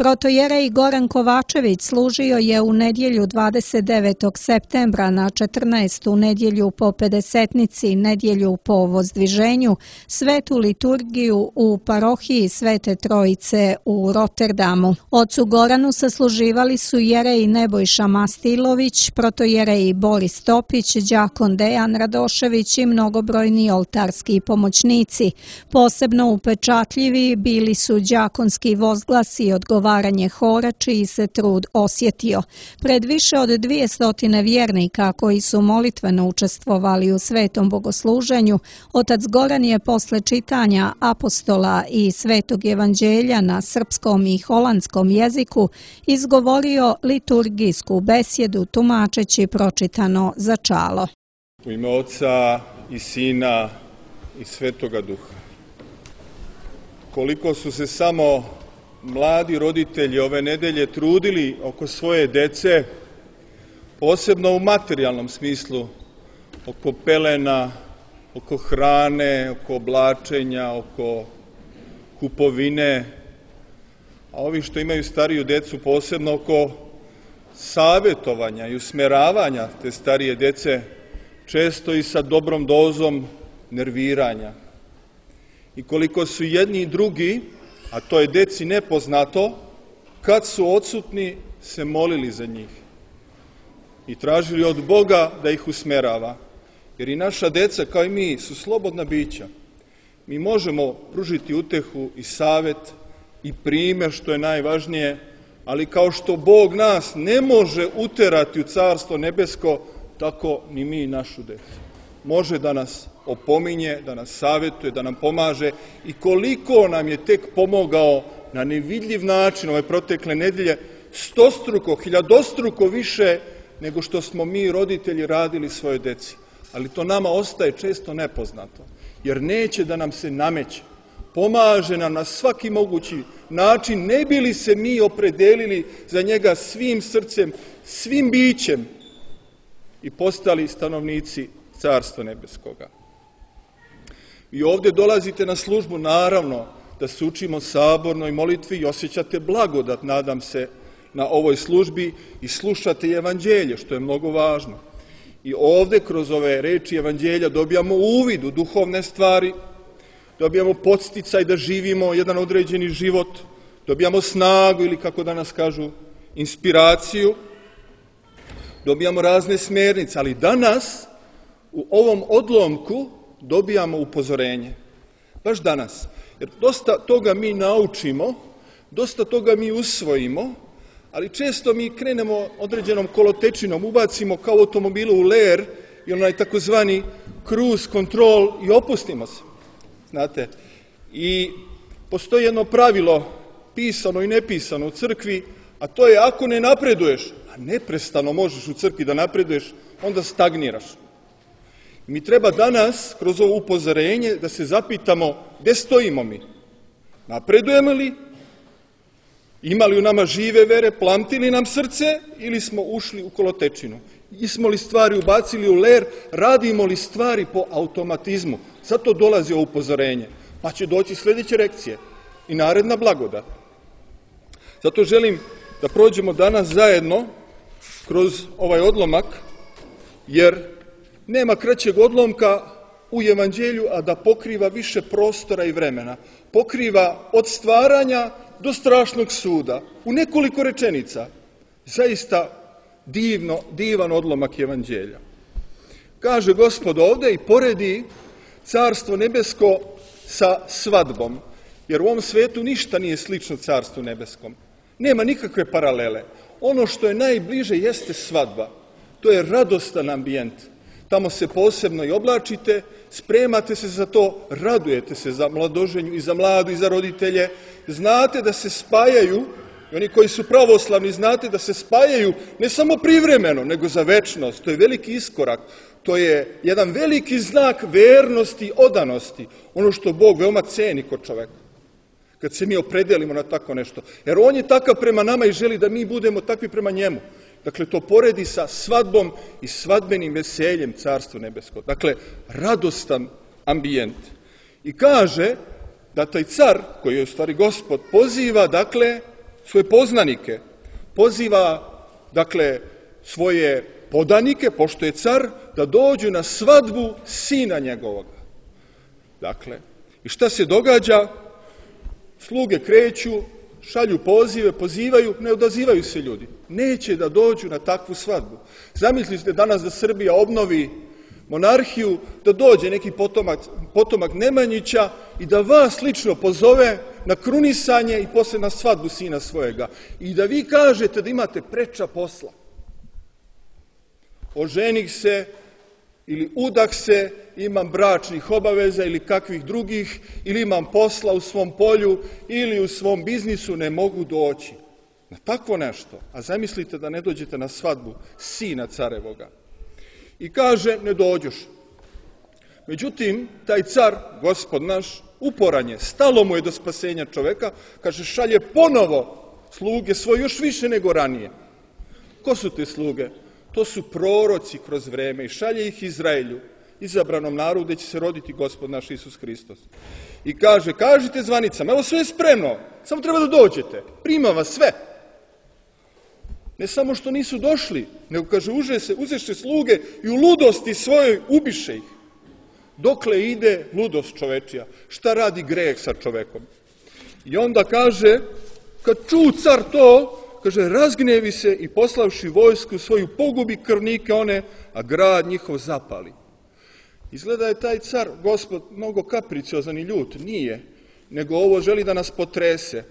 Protojerej Goran Kovačević služio je u nedjelju 29. septembra na 14. nedjelju po Pedesetnici, nedjelju po Vozdviženju, svetu liturgiju u parohiji Svete Trojice u Rotterdamu. Ocu Goranu sasluživali su jerej Nebojša Mastilović, protojerej Boris Topić, đakon Dejan Radošević i mnogobrojni oltarski pomoćnici. Posebno upečatljivi bili su đakonski vozglasi i odgovaranje hora čiji se trud osjetio. Pred više od 200 vjernika koji su molitveno učestvovali u svetom bogosluženju, otac Goran je posle čitanja apostola i svetog evanđelja na srpskom i holandskom jeziku izgovorio liturgijsku besjedu tumačeći pročitano začalo. U ime Oca i Sina i Svetoga Duha. Koliko su se samo mladi roditelji ove nedelje trudili oko svoje dece, posebno u materijalnom smislu, oko pelena, oko hrane, oko oblačenja, oko kupovine, a ovi što imaju stariju decu posebno oko savjetovanja i usmeravanja te starije dece, često i sa dobrom dozom nerviranja. I koliko su jedni i drugi, a to je deci nepoznato, kad su odsutni se molili za njih i tražili od Boga da ih usmerava. Jer i naša deca, kao i mi, su slobodna bića. Mi možemo pružiti utehu i savjet i primjer, što je najvažnije, ali kao što Bog nas ne može uterati u Carstvo nebesko, tako ni mi našu decu. Može da nas opominje, da nas savjetuje, da nam pomaže i koliko nam je tek pomogao na nevidljiv način ove protekle nedelje, stostruko, hiljadostruko više nego što smo mi roditelji radili svojoj deci. Ali to nama ostaje često nepoznato, jer neće da nam se nameće. Pomaže nam na svaki mogući način, ne bi li se mi opredelili za njega svim srcem, svim bićem i postali stanovnici Carstva nebeskoga. I ovdje dolazite na službu, naravno, da se učimo sabornoj molitvi i osjećate blagodat, nadam se, na ovoj službi i slušate evanđelje, što je mnogo važno. I ovdje, kroz ove reči evanđelja, dobijamo uvid u duhovne stvari, dobijamo podsticaj da živimo jedan određeni život, dobijamo snagu ili, kako danas kažu, inspiraciju, dobijamo razne smjernice, ali danas u ovom odlomku dobijamo upozorenje. Baš danas. Jer dosta toga mi naučimo, dosta toga mi usvojimo, ali često mi krenemo određenom kolotečinom, ubacimo kao automobilu u ler i onaj takozvani cruise control i opustimo se. Znate, i postoji jedno pravilo, pisano i nepisano u crkvi, a to je ako ne napreduješ, a neprestano možeš u crkvi da napreduješ, onda stagniraš. Mi treba danas, kroz ovo upozorenje, da se zapitamo gde stojimo mi. Napredujemo li? Ima li u nama žive vere? Plamti li nam srce? Ili smo ušli u kolotečinu? Ismo li stvari ubacili u ler? Radimo li stvari po automatizmu? Zato dolazi ovo upozorenje. Pa će doći sljedeće lekcije i naredna blagodat. Zato želim da prođemo danas zajedno kroz ovaj odlomak, jer nema kraćeg odlomka u evanđelju, a da pokriva više prostora i vremena. Pokriva od stvaranja do strašnog suda. U nekoliko rečenica. Zaista divan odlomak evanđelja. Kaže Gospod ovdje i poredi Carstvo nebesko sa svadbom. Jer u ovom svetu ništa nije slično Carstvu nebeskom. Nema nikakve paralele. Ono što je najbliže jeste svadba. To je radostan ambijent. Tamo se posebno i oblačite, spremate se za to, radujete se za mladoženju i za mladu i za roditelje. Znate da se spajaju, i oni koji su pravoslavni znate da se spajaju ne samo privremeno, nego za večnost. To je veliki iskorak. To je jedan veliki znak vernosti i odanosti. Ono što Bog veoma ceni kod čoveka. Kad se mi opredelimo na tako nešto. Jer on je takav prema nama i želi da mi budemo takvi prema njemu. Dakle, to poredi sa svadbom i svadbenim veseljem Carstva nebeskog. Dakle, radostan ambijent. I kaže da taj car, koji je u stvari Gospod, poziva, dakle, svoje poznanike, poziva, dakle, svoje podanike, pošto je car, da dođu na svadbu sina njegovoga. Dakle, i šta se događa? Sluge kreću, šalju pozive, pozivaju, ne odazivaju se ljudi. Neće da dođu na takvu svadbu. Zamislite danas da Srbija obnovi monarhiju, da dođe neki potomak Nemanjića i da vas lično pozove na krunisanje i posle na svadbu sina svojega. I da vi kažete da imate preča posla. Oženih se ili udah se, imam bračnih obaveza ili kakvih drugih, ili imam posla u svom polju ili u svom biznisu, ne mogu doći na takvo nešto. A zamislite da ne dođete na svadbu sina carevoga. I kaže, ne dođoš. Međutim, taj car, Gospod naš, uporan je, stalo mu je do spasenja čoveka, kaže, šalje ponovo sluge svoje još više nego ranije. Ko su te sluge? To su proroci kroz vreme i šalje ih Izraelju, izabranom narodu gde će se roditi Gospod naš Isus Hristos. I kaže, kažite zvanicama, evo sve je spremno, samo treba da dođete, prima vas sve. Ne samo što nisu došli, nego kaže, uzeše sluge i u ludosti svojoj ubiše ih. Dokle ide ludost čovečija? Šta radi greh sa čovekom? I onda kaže, kad ču car to, kaže, razgnevi se i poslavši vojsku svoju pogubi krvnike one, a grad njihov zapali. Izgleda je taj car, Gospod, mnogo kapriciozan i ljut. Nije, nego ovo želi da nas potrese.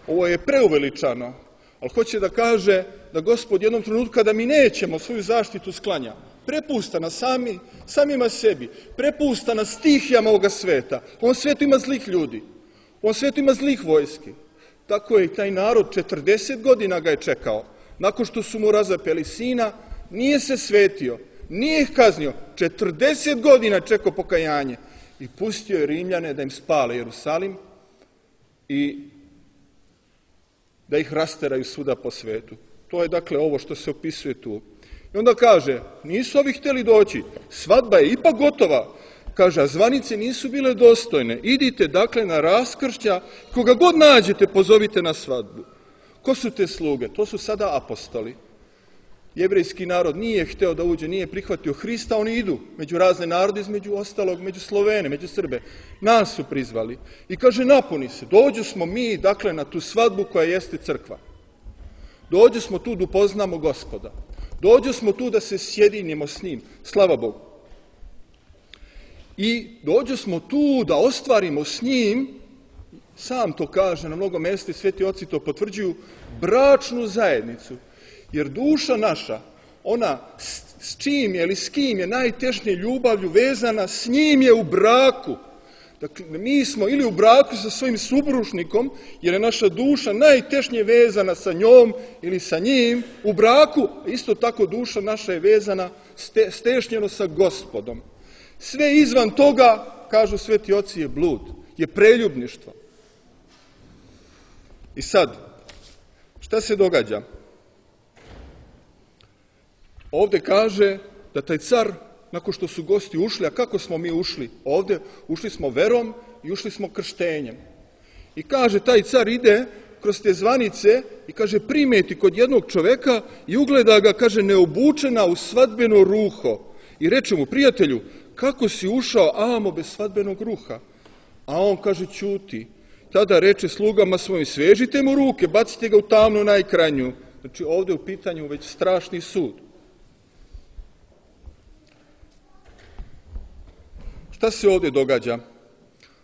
Ovo je preuveličano, ali hoće da kaže da Gospod jednom trenutku kada mi nećemo svoju zaštitu sklanja, prepusta nas samima sebi, prepusta nas stihijama ovoga sveta. U ovom svetu ima zlih ljudi, u ovom svetu ima zlih vojski. Tako je i taj narod 40 godina ga je čekao. Nakon što su mu razapeli sina, nije se svetio, nije ih kaznio. 40 godina čekao pokajanje i pustio je Rimljane da im spale Jerusalim i da ih rasteraju svuda po svetu. To je dakle ovo što se opisuje tu. I onda kaže, nisu ovi htjeli doći, svadba je ipak gotova. Kaže, a zvanice nisu bile dostojne. Idite dakle na raskršća, koga god nađete pozovite na svadbu. Ko su te sluge? To su sada apostoli. Jevrejski narod nije hteo da uđe, nije prihvatio Hrista, oni idu među razne narode, između ostalog, među Slovene, među Srbe. Nas su prizvali. I kaže, napuni se, dođu smo mi dakle na tu svadbu koja jeste crkva. Dođu smo tu da upoznamo Gospoda. Dođu smo tu da se sjedinimo s njim, slava Bogu. I dođu smo tu da ostvarimo s njim, sam to kaže na mnogo mesta i sveti oci to potvrđuju, bračnu zajednicu. Jer duša naša, ona s čim je ili s kim je najtešnje ljubavlju vezana, s njim je u braku. Dakle, mi smo ili u braku sa svojim supružnikom, jer je naša duša najtešnje vezana sa njom ili sa njim, u braku, isto tako duša naša je vezana stešnjeno sa Gospodom. Sve izvan toga, kažu sveti oci, je blud, je preljubništvo. I sad, šta se događa? Ovde kaže da taj car, nakon što su gosti ušli, a kako smo mi ušli? Ovde ušli smo verom i ušli smo krštenjem. I kaže, taj car ide kroz te zvanice i kaže, primeti kod jednog čoveka i ugleda ga, kaže, neobučena u svadbeno ruho. I reče mu, prijatelju, kako si ušao amo bez svadbenog ruha? A on kaže, ćuti. Tada reče slugama svojim, svežite mu ruke, bacite ga u tamnu najkrajnju. Znači, ovde u pitanju već strašni sud. Šta se ovde događa?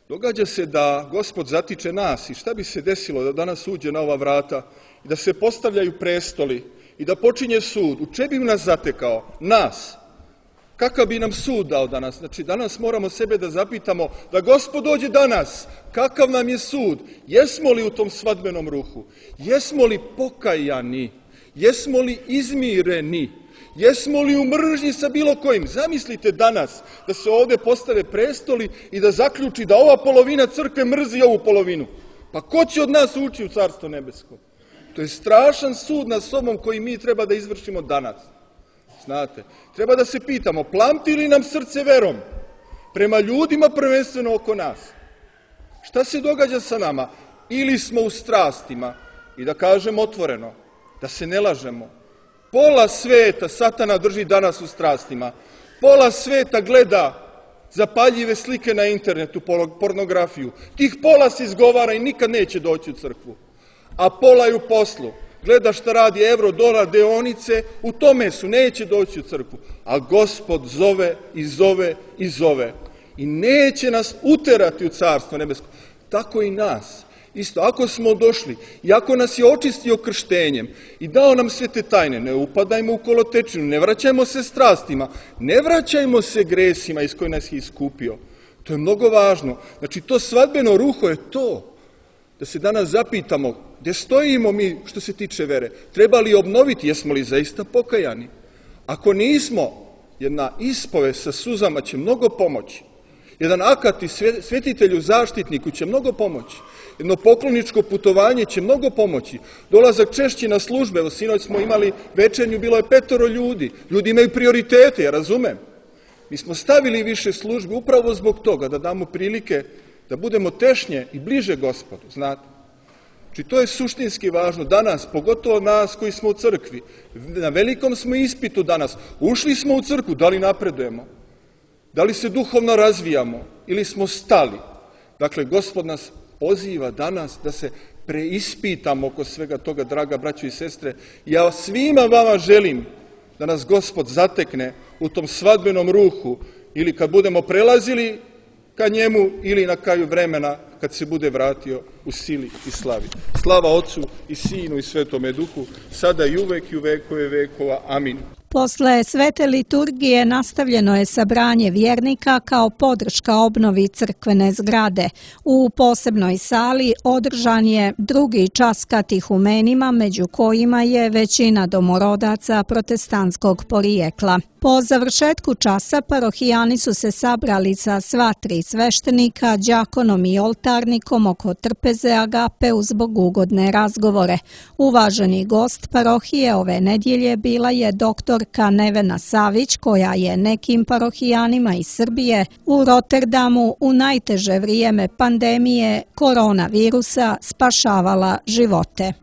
Događa se da Gospod zatiče nas i šta bi se desilo da danas uđe na ova vrata i da se postavljaju prestoli i da počinje sud. U čemu bi nas zatekao? Nas. Kakav bi nam sud dao danas? Znači, danas moramo sebe da zapitamo da Gospod dođe danas. Kakav nam je sud? Jesmo li u tom svadbenom ruhu? Jesmo li pokajani? Jesmo li izmireni? Jesmo li u mržnji sa bilo kojim? Zamislite danas da se ovde postave prestoli i da zaključi da ova polovina crkve mrzi ovu polovinu. Pa ko će od nas ući u Carstvo nebesko? To je strašan sud nad sobom koji mi treba da izvršimo danas. Znate, treba da se pitamo, plamti li nam srce verom? prema ljudima prvenstveno oko nas. Šta se događa sa nama? Ili smo u strastima, i da kažem otvoreno, da se ne lažemo, pola sveta Satana drži danas u strastima, pola sveta gleda zapaljive slike na internetu, pornografiju, tih pola se izgovara i nikad neće doći u crkvu, a pola je u poslu, gleda šta radi evro, dolar, deonice, u tome su, neće doći u crkvu, a Gospod zove i zove i zove i neće nas uterati u carstvo nebesko. Tako i nas. Isto, ako smo došli i ako nas je očistio krštenjem i dao nam sve te tajne, ne upadajmo u kolotečinu, ne vraćajmo se strastima, ne vraćajmo se gresima iz koje nas je iskupio. To je mnogo važno. Znači, to svadbeno ruho je to. Da se danas zapitamo gdje stojimo mi što se tiče vere. Treba li obnoviti, jesmo li zaista pokajani? Ako nismo, jedna ispovest sa suzama će mnogo pomoći. Jedan akat i svetitelju zaštitniku će mnogo pomoći. Jedno pokloničko putovanje će mnogo pomoći. Dolazak češće na službe, evo sinoć smo imali večernju, bilo je 5 ljudi. Ljudi imaju prioritete, ja razumem. Mi smo stavili više službe upravo zbog toga, da damo prilike da budemo tešnje i bliže Gospodu, znate. Znači, to je suštinski važno danas, pogotovo nas koji smo u crkvi. Na velikom smo ispitu danas. Ušli smo u crkvu, da li napredujemo? Da li se duhovno razvijamo ili smo stali? Dakle, Gospod nas poziva danas da se preispitamo oko svega toga, draga braćo i sestre. Ja svima vama želim da nas Gospod zatekne u tom svadbenom ruhu ili kad budemo prelazili ka njemu ili na kraju vremena kad se bude vratio u sili i slavi. Slava Otcu i Sinu i Svetome Duhu, sada i uvek i u vekove vekova. Amin. Posle svete liturgije nastavljeno je sabranje vjernika kao podrška obnovi crkvene zgrade. U posebnoj sali održan je drugi čas katehumenima, među kojima je većina domorodaca protestantskog porijekla. Po završetku časa parohijani su se sabrali sa sva 3 sveštenika, đakonom i oltarnikom oko trpeze agape uz bogugodne razgovore. Uvaženi gost parohije ove nedjelje bila je doktorka Nevena Savić, koja je nekim parohijanima iz Srbije u Rotterdamu u najteže vrijeme pandemije koronavirusa spašavala živote.